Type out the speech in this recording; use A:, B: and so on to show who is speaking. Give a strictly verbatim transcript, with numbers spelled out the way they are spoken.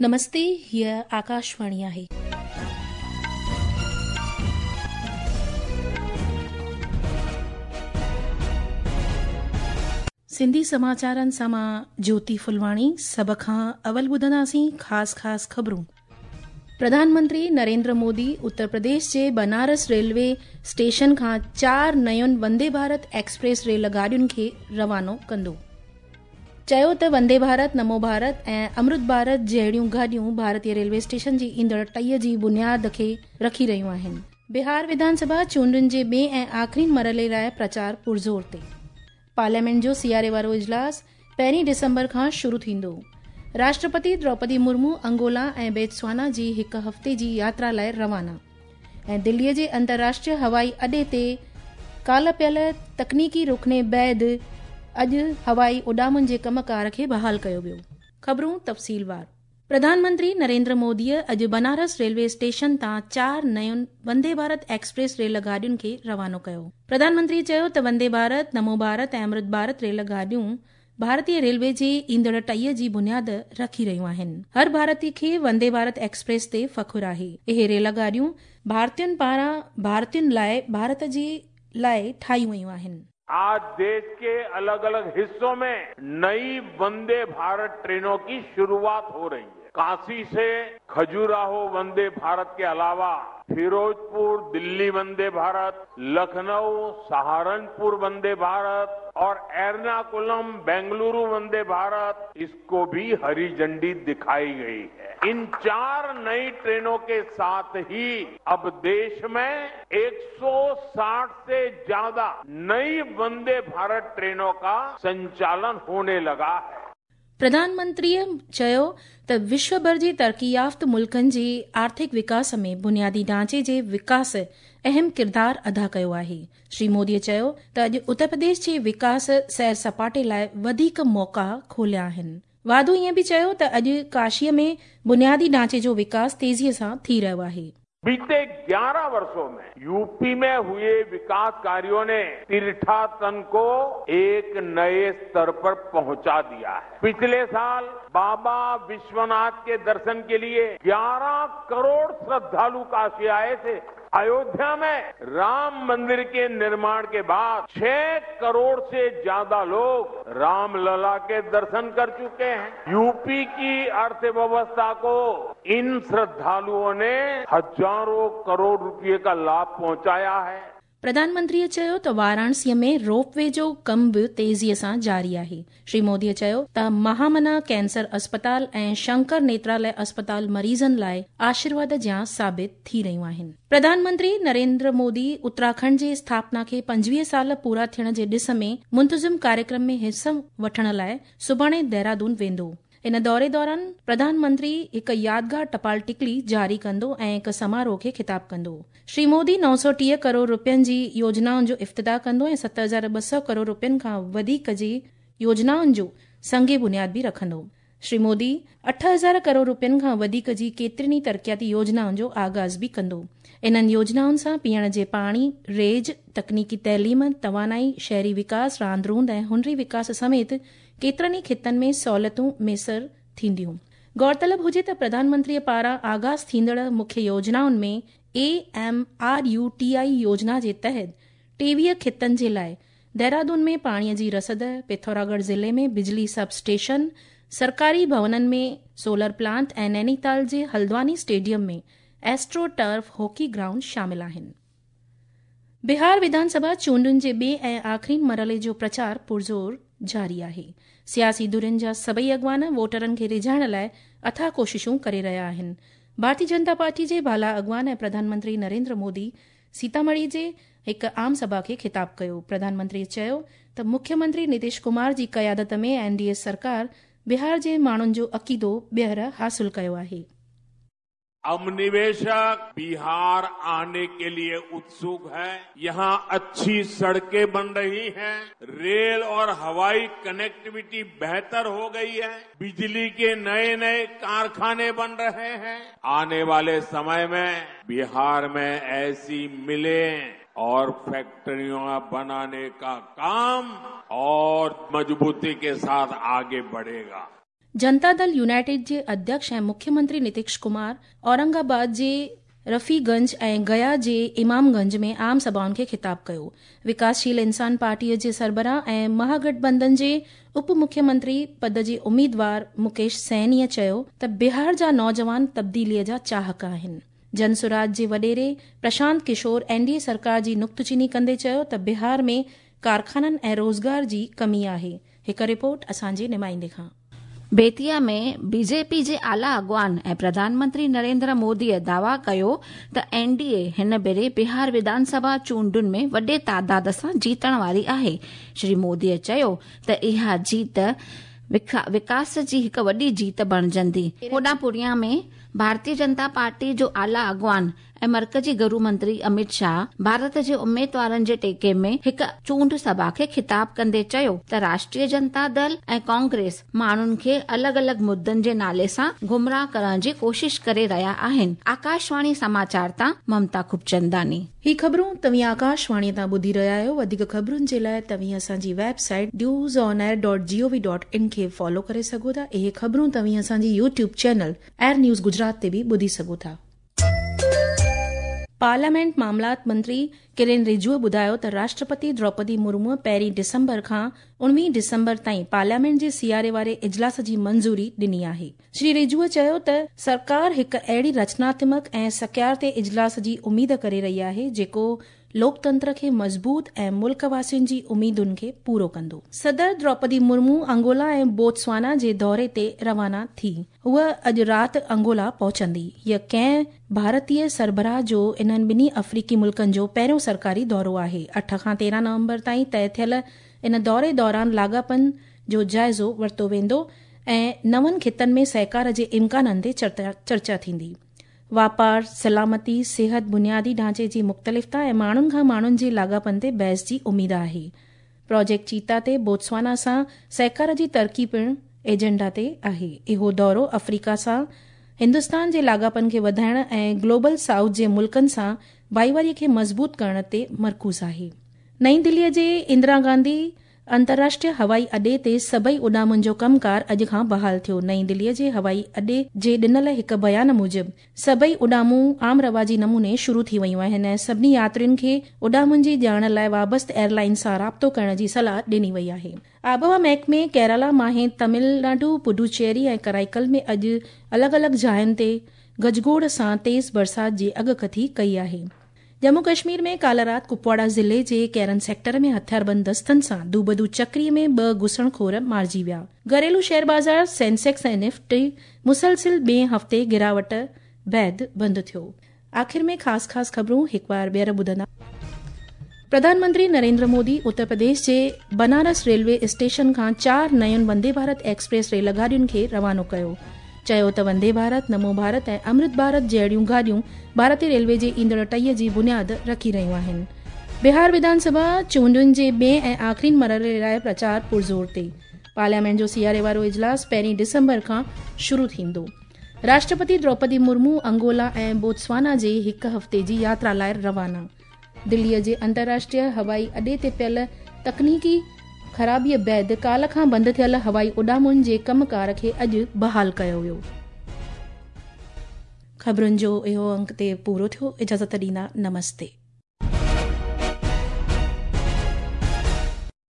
A: नमस्ते, हीअ आकाशवाणी आहे। सिंधी समाचारनि सां मां ज्योति फुलवाणी। सभ खां अवल ॿुधंदासीं ख़ासि ख़ासि ख़बरूं। प्रधानमंत्री नरेंद्र मोदी उत्तर प्रदेश जे बनारस रेलवे स्टेशन खां चार नयुनि वंदे भारत एक्सप्रेस रेल गाॾियुनि खे रवानो कंदो। चयो त वंदे भारत, नमो भारत ऐं अमृत भारत जहिड़ियूं गाॾियूं भारतीय रेलवे स्टेशन जी ईंदड़ टहीअ जी बुनियाद खे रखी रहियूं आहिनि। बिहार विधानसभा चूंडुनि जे ॿिए ऐं आख़िरी मरहले लाइ प्रचार पुरज़ोर ते। पार्लियामेंट जो सियारे वारो इजलास पहिरीं डिसंबर खां शुरू थींदो। राष्ट्रपति द्रौपदी मुर्मू अंगोला ऐं बेत्सवाना जी हिकु हफ़्ते जी यात्रा लाइ रवाना। ऐं दिल्लीअ जे अंतर्राष्ट्रीय हवाई अॾे ते काल्ह पियल तकनीकी रुकने बाद अॼु हवाई उॾामुनि जे कमकार खे बहाल कयो वियो। ख़बरूं तफ़सीलवार। प्रधानमंत्री नरेंद्र मोदीअ अॼु बनारस रेलवे स्टेशन तां चार नयुनि वंदे भारत एक्सप्रेस रेल गाॾियुनि खे रवानो कयो। प्रधानमंत्री चयो त वंदे भारत, नमो भारत ऐं अमृत भारत रेल गाॾियूं भारतीय रेलवे जे ईंदड़ टहीअ जी बुनियाद रखी रहियूं आहिनि। हर भारतीय खे वंदे भारत एक्सप्रेस ते फ़ख़ुरु आहे। इहे रेल गाॾियूं भारतीयुनि पारां भारतीयुनि लाइ भारत जे लाइ ठाहियूं वयूं आहिनि।
B: आज देश के अलग अलग हिस्सों में नई वंदे भारत ट्रेनों की शुरुआत हो रही है। काशी से खजुराहो वंदे भारत के अलावा फिरोजपुर दिल्ली वंदे भारत, लखनऊ सहारनपुर वंदे भारत और एर्नाकुलम बेंगलुरु वंदे भारत, इसको भी हरी झंडी दिखाई गई है। इन चार नई ट्रेनों के साथ ही अब देश में एक सौ साठ से ज्यादा नई वंदे भारत ट्रेनों का संचालन होने लगा है।
A: प्रधानमंत्रीअ चयो त विश्वभर जे तरक़ी याफ़्त मुल्कनि जे आर्थिक विकास में बुनियादी ढांचे जे विकास अहम किरदार अदा कयो आहे। श्री मोदीअ चयो त अॼु उत्तर प्रदेश जे विकास सैर सपाटे लाइ वधीक मौक़ा खोलिया आहिनि। वाधू ईअं बि चयो त अॼु काशीअ में बुनियादी ढांचे जो विकास तेज़ीअ सां थी रहियो आहे।
B: बीते ग्यारह वर्षों में यूपी में हुए विकास कार्यों ने तीर्थाटन को एक नए स्तर पर पहुंचा दिया है। पिछले साल बाबा विश्वनाथ के दर्शन के लिए ग्यारह करोड़ श्रद्धालु काशी आए थे। अयोध्या में राम मंदिर के निर्माण के बाद छह करोड़ से ज्यादा लोग रामलला के दर्शन कर चुके हैं। यूपी की अर्थव्यवस्था को इन श्रद्धालुओं ने हजारों करोड़ रुपए का लाभ पहुंचाया है।
A: प्रधानमंत्रीअ चयो त वाराणसीअ में रोपवे जो कमु बि तेज़ीअ सां जारी आहे। श्री मोदीअ चयो त महामना कैंसर अस्पताल ऐं शंकर नेत्रालय अस्पताल मरीज़नि लाइ आशीर्वाद जियां साबित थी रहियूं आहिनि। प्रधानमंत्री नरेंद्र मोदी उत्तराखंड जे स्थापना खे पंजवीह साल पूरा थियण जे ॾिस में मुंतज़िम कार्यक्रम में हिसो वठण लाइ सुभाणे देहरादून वेंदो। इन दौरे दौरान प्रधानमंत्री हिकु यादगार टपाल टिकली जारी कंदो ऐं हिकु समारोह खे ख़िताब कंदो। श्री मोदी नौ सौ टीह करोड़ रुपयनि जी योजनाउनि जो इफ्तिताह कंदो ऐं सत हज़ार ॿ सौ करोड़ रुपयनि खां वधीक जी योजनाउनि जो संगे बुनियाद बि रखंदो। श्री मोदी अठ हज़ार करोड़ रुपयनि खां वधीक जी केतिरियुनि ई तरक़ियाती योजनाउनि जो आगाज़ बि कंदो। इन्हनि योजनाउनि सां पीअण जे पाणी, रेज, तकनीकी तइलीम, तवानाई, शहरी विकास, रांदि रूंद ऐं हुनरी विकास समेत केतिरनि ई ख़ितनि में सहूलियतूं मयसर थींदियूं। गौरतलब हुजे त प्रधानमंत्रीअ पारां आगाज़ थींदड़ मुख्य योजनाउनि में A M R U T I योजना जे तहत टेवीह ख़ितनि जे लाइ देहरादून में पाणीअ जी रसद, पिथौरागढ़ ज़िले में बिजली सब स्टेशन, सरकारी भवननि में सोलर प्लांट ऐं नैनीताल जे हल्द्वानी स्टेडियम में एस्ट्रो टर्फ हॉकी ग्राउंड शामिल आहिनि। बिहार विधानसभा चूंडुनि जे ॿिए ऐं आख़िरी मरहले जो प्रचार पुरज़ोर जारी आहे। सियासी धुरियुनि जा सभई अॻवान वोटरनि खे रिझाइण लाइ अथाह कोशिशूं करे रहिया आहिनि। भारतीय जनता पार्टी जे बाला अॻवान ऐं प्रधानमंत्री नरेंद्र मोदी सीतामढ़ी जे हिकु आम सभा खे ख़िताब कयो। प्रधानमंत्री चयो त मुख्यमंत्री नीतीश कुमार जी क़यादत में एन डी ए सरकार बिहार जे माण्हुनि जो अक़ीदो ॿीहर हासिल कयो आहे।
B: अब निवेशक बिहार आने के लिए उत्सुक है। यहाँ अच्छी सड़कें बन रही हैं, रेल और हवाई कनेक्टिविटी बेहतर हो गई है, बिजली के नए नए कारखाने बन रहे हैं। आने वाले समय में बिहार में ऐसी मिलें और फैक्ट्रियां बनाने का काम और मजबूती के साथ आगे बढ़ेगा।
A: जनता दल यूनाइटेड जे अध्यक्ष ऐं मुख्यमंत्री नितिश कुमार औरंगाबाद जे रफ़ीगंज ऐं गया जे इमामगंज में आम सभाउनि खे ख़िताब कयो। विकासशील इंसान पार्टीअ जे सरबराह ऐं महागठबंधन जे उप मुख्यमंत्री पद जे उम्मीदवार मुकेश सहनीअ चयो त बिहार जा नौजवान तब्दीलीअ जा चाहक आहिनि। जनसुराज जे वॾेरे प्रशांत किशोर एनडीए सरकार जी नुक्तचीनी कंदे चयो त बिहार में कारखाननि ऐं रोज़गार जी कमी आहे। हिकु रिपोर्ट असांजे नुमाइंदे खां।
C: बेतिया में बीजेपी जे आला अॻवान ऐं प्रधानमंत्री नरेंद्र मोदीअ दावा कयो त एनडीए हिन भेरे बिहार विधानसभा चूंडुनि में वॾे तादाद सां जीतण वारी आहे। श्री मोदीअ चयो त इहा जीत विकास जी हिकु वॾी जीत बणिजंदी। होॾां पूर्णिया में भारतीय जनता पार्टी जो आला अॻवान ऐं मर्कजी गृह मंत्री अमित शाह भारत जे उम्मीदवारनि जे टेके में हिकु चूंड सभा खे ख़िताब कंदे चयो त राष्ट्रीय जनता दल ऐं कांग्रेस माण्हुनि खे अलॻि अलॻि मुद्दनि जे नाले सां गुमराह करण जी कोशिश करे रहिया आहिनि। आकाशवाणी समाचार तां ममता खूबचंदानी।
A: ही ख़बरूं तव्हीं आकाशवाणी तां ॿुधी रहिया आहियो। वधीक ख़बरुनि जे लाइ तव्हीं असांजी website news on air dot G O V dot in खे फॉलो करे सघो था। इहे ख़बरूं तव्हीं असांजी YouTube channel Air News Gujarat ते बि ॿुधी सघो था। पार्लियामेंट मामलात मंत्री किरण रिजिजूअ ॿुधायो त राष्ट्रपति द्रौपदी मुर्मू पहिरीं डिसंबर खां उणिवीह डिसंबर ताईं पार्लियामेंट जे सियारे वारे इजलास जी मंज़ूरी ॾिनी आहे। श्री रिजिजूअ चयो त सरकार हिकु अहिड़ी रचनात्मक ऐं सकियार ते इजलास जी उम्मीद करे रही आहे जेको लोकतंत्र खे मज़बूत ऐं मुल्क वासियुनि जी उम्मीदुनि खे पूरो कंदो। सदर द्रौपदी मुर्मू अंगोला ऐं बोत्सवाना जे दौरे ते रवाना थी। हूअ अॼु राति अंगोला पहुचंदी। हीअ कंहिं भारतीय सरबराह जो इन्हनि ॿिन्ही अफ्रीकी मुल्कनि जो पहिरियों सरकारी दौरो आहे। अठ खां तेरहं नवंबर ताईं तय थियल इन दौरे दौरान लाॻापनि जो जाइज़ो वरितो वेंदो ऐं नवनि ख़ितनि में सहकार जे इम्काननि ते चर्चा थींदी। वापार, सलामती, सिहत, बुनियादी ढांचे जी मुख़्तलिफ़ता ऐं माण्हुनि खां माण्हुनि जे लाॻापनि ते बहस जी उम्मीद आहे। प्रोजेक्ट चीता ते बोत्सवाना सां सहकार जी तरक़ी पिणु एजेंडा ते आहे। इहो दौरो अफ्रीका सां हिंदुस्तान जे लाॻापनि खे वधाइण ऐं ग्लोबल साउथ जे मुल्कनि सां भाईवारीअ खे मज़बूत करण ते मरकूज़ आहे। नई दिल्लीअ जे इंदिरा गांधी अंतर्राष्ट्रीय हवाई अॾे ते सभई उॾामुनि जो कमकार अॼु खां बहाल थियो। नई दिल्लीअ जे हवाई अॾे जे ॾिनल हिकु बयान मूजिबि सभई उॾामूं आम रवाजी नमूने शुरू थी वयूं आहिनि ऐं सभिनी यात्रियुनि खे उॾामुनि जी ॼाण लाइ वाबस्त एयरलाइन सां राब्तो करण जी सलाह ॾिनी वई आहे। आबहवा महकमे केरला, माहे, तमिलनाडु, पुडुचेरी ऐं कराईकल में अॼु अलॻि अलॻि जायुनि ते गजगोड़ सां तेज़ बरसाति जी अॻकथी कई आहे। जम्मू कश्मीर में काल राति कुपवाड़ा ज़िले जे कैरन सेक्टर में हथियारबंद दस्तनि सां दूबदू चकरी में ॿ घुसणखोर मारिजी विया। घरेलू शेयर बाज़ार सेंसेक्स ऐं निफ्टी मुसलसिल ॿिए हफ़्ते गिरावट बाद बंदि थियो। आख़िर में ख़ासि ख़ासि ख़बरूं हिकु बार ॿीहर ॿुधंदा। प्रधानमंत्री नरेंद्र मोदी उत्तर प्रदेश जे बनारस रेलवे स्टेशन खां चार नयुनि वंदे भारत एक्सप्रेस रेल गाॾियुनि खे रवानो कयो। चयो त वंदे भारत, नमो भारत ऐं अमृत भारत जहिड़ियूं गाॾियूं भारतीय रेलवे जे ईंदड़ टहीअ जी बुनियाद रखी रहियूं आहिनि। बिहार विधानसभा चूंडुनि जे ॿिए ऐं आख़िरी मरहले लाइ प्रचार पुरज़ोर ते। पार्लियामेंट जो सियारे वारो इजलास पहिरीं डिसंबर खां शुरू थींदो। राष्ट्रपति द्रौपदी मुर्मू अंगोला ऐं बोत्सवाना जे हिकु हफ़्ते जी यात्रा लाइ रवाना। दिल्लीअ जे अंतर्राष्ट्रीय हवाई अॾे ते पियल तकनीकी ख़राबीअ बाद काल खां बंदि थियल हवाई उॾामुनि जे कमकार खे अॼु बहाल कयो वियो। ख़बरुनि जो इहो अंक ते पूरो थियो। इजाज़त ॾींदा, नमस्ते।